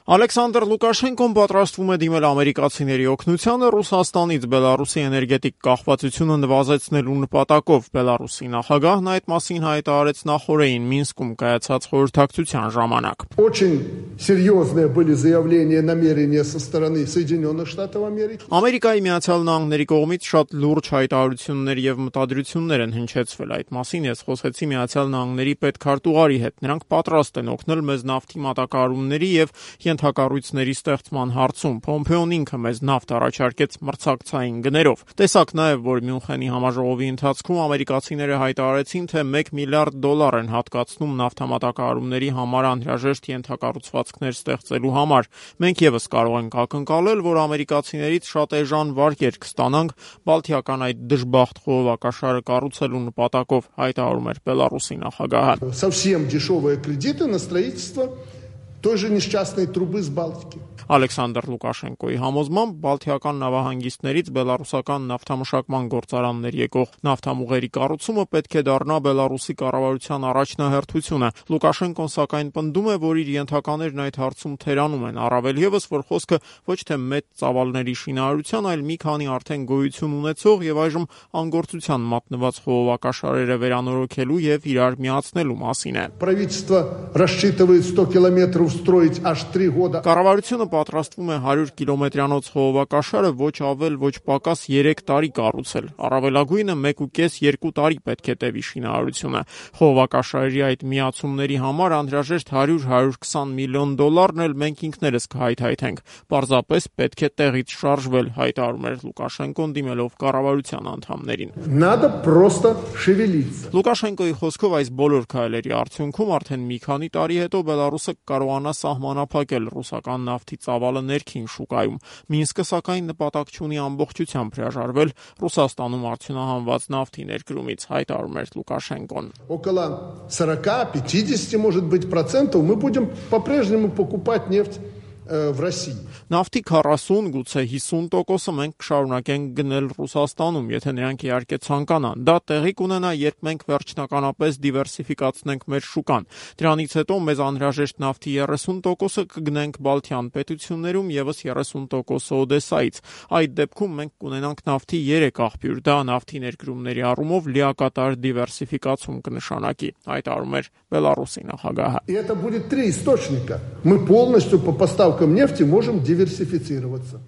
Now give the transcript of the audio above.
Ալեքսանդր Լուկաշենկոն պատրաստվում է դիմել ամերիկացիների օգնությանը Ռուսաստանից Բելարուսի էներգետիկ կախվածությունը նվազեցնելու նպատակով։ Բելարուսի նախագահն այդ մասին հայտարարեց նախօրեին Մինսկում կայացած խորհրդակցության ժամանակ։ Очень серьезные были заявления намерения со стороны Соединенных Штатов Америки. Ամերիկայի Միացյալ Նահանգների կողմից շատ լուրջ հայտարարություններ եւ մտադրություններ են հնչեցվել այդ մասին։ Ես խոսեցի Միացյալ Նահանգների պետքարտուղարի հետ։ Նրանք պատրաստ են օգնել մեզ նավթի մատակարարումների եւ ենթակառույցների ստեղծման հարցում։ Պոմպեոն ինքը մեզ նավթ առաջարկեց մրցակցային գներով։ Տեսակ նաև, որ Մյունխենի համաժողովի ընթացքում ամերիկացիները հայտարարեցին, թե $1 միլիարդ են հատկացնում նավթամատակարարումների համար անհրաժեշտ ենթակառուցվածքներ ստեղծելու համար։ Մենք եւս կարող ենք ակնկալել, որ ամերիկացիներից շատ էժան վարկեր կստանանք Բալթիական այդ դժբախտ խողովակաշարը կառուցելու նպատակով, հայտարարում էր Բելարուսի նախագահը։ Совсем дешевые кредиты на строительство той же несчастной трубы с Балтики. Ալեքսանդր Լուկաշենկոյի համոզմամբ Բալթիական նավահանգիստներից բելարուսական նավթամշակման գործարաններ եկող նավթամուղերի կառուցումը պետք է դառնա Բելարուսի կառավարության առաջնահերթությունը։ Լուկաշենկոն սակայն պնդում է, որ իր ենթականերն այդ հարցում թերանում են, առավել եւս, որ խոսքը ոչ թե մեծ ծավալների շինարարության, այլ մի քանի արդեն գոյություն ունեցող եւ այժմ անգործության մատնված խողովակաշարերը վերանորոգելու եւ իրար միացնելու մասին է։ Правительство рассчитывает 100 километров строить аж 3 года. Կառավարությունը պատրաստվում է 100 կիլոմետրանոց խողովակաշարը ոչ ավել ոչ պակաս 3 տարի կառուցել։ Առավելագույնը 1.5-2 տարի պետք է տևի շինարարությունը։ Խողովակաշարերի այդ միացումների համար անհրաժեշտ $100-120 միլիոն էլ մենք ինքներս կհայթայթենք։ Պարզապես պետք է տեղից շարժվել, հայտարարում էր Լուկաշենկոն դիմելով կառավարության անդամներին։ Надо просто шевелиться. Լուկաշենկոյի խոսքով այս բոլոր քայլերի արդյունքում արդեն մի քանի տարի հետո Բելարուսը կարողանա սահմանափակել ռուսական նավթի ծավալը ներքին շուկայում։ Մինսկը сакայն նպատակ չունի ամբողջությամբ հրաժարվել Ռուսաստանում արդյունահանված նավթի ներկրումից, հայտարարում էր Լուկաշենկոն։ Около 40-50, может быть, процентов мы будем по-прежнему покупать нефть в России. Նավթի 40, գուցե 50%-ը մենք կշարունակենք գնել Ռուսաստանում, եթե նրանք իհարկե ցանկանան։ Դա տեղի կունենա, երբ մենք վերջնականապես դիվերսիֆիկացնենք մեր շուկան։ Դրանից հետո մեզ անհրաժեշտ նավթի 30%-ը կգնենք Բալթյան պետություններում, եւս 30%-ը Օդեսայից։ Այդ դեպքում մենք կունենանք նավթի 3 աղբյուր։ Դա նավթի ներկրումների առումով լիակատար դիվերսիֆիկացում կնշանակի, հայտարարում էր Բելարուսի նախագահը։ И это будет 3 источника. Мы полностью по поставкам нефти можем диверсифицироваться.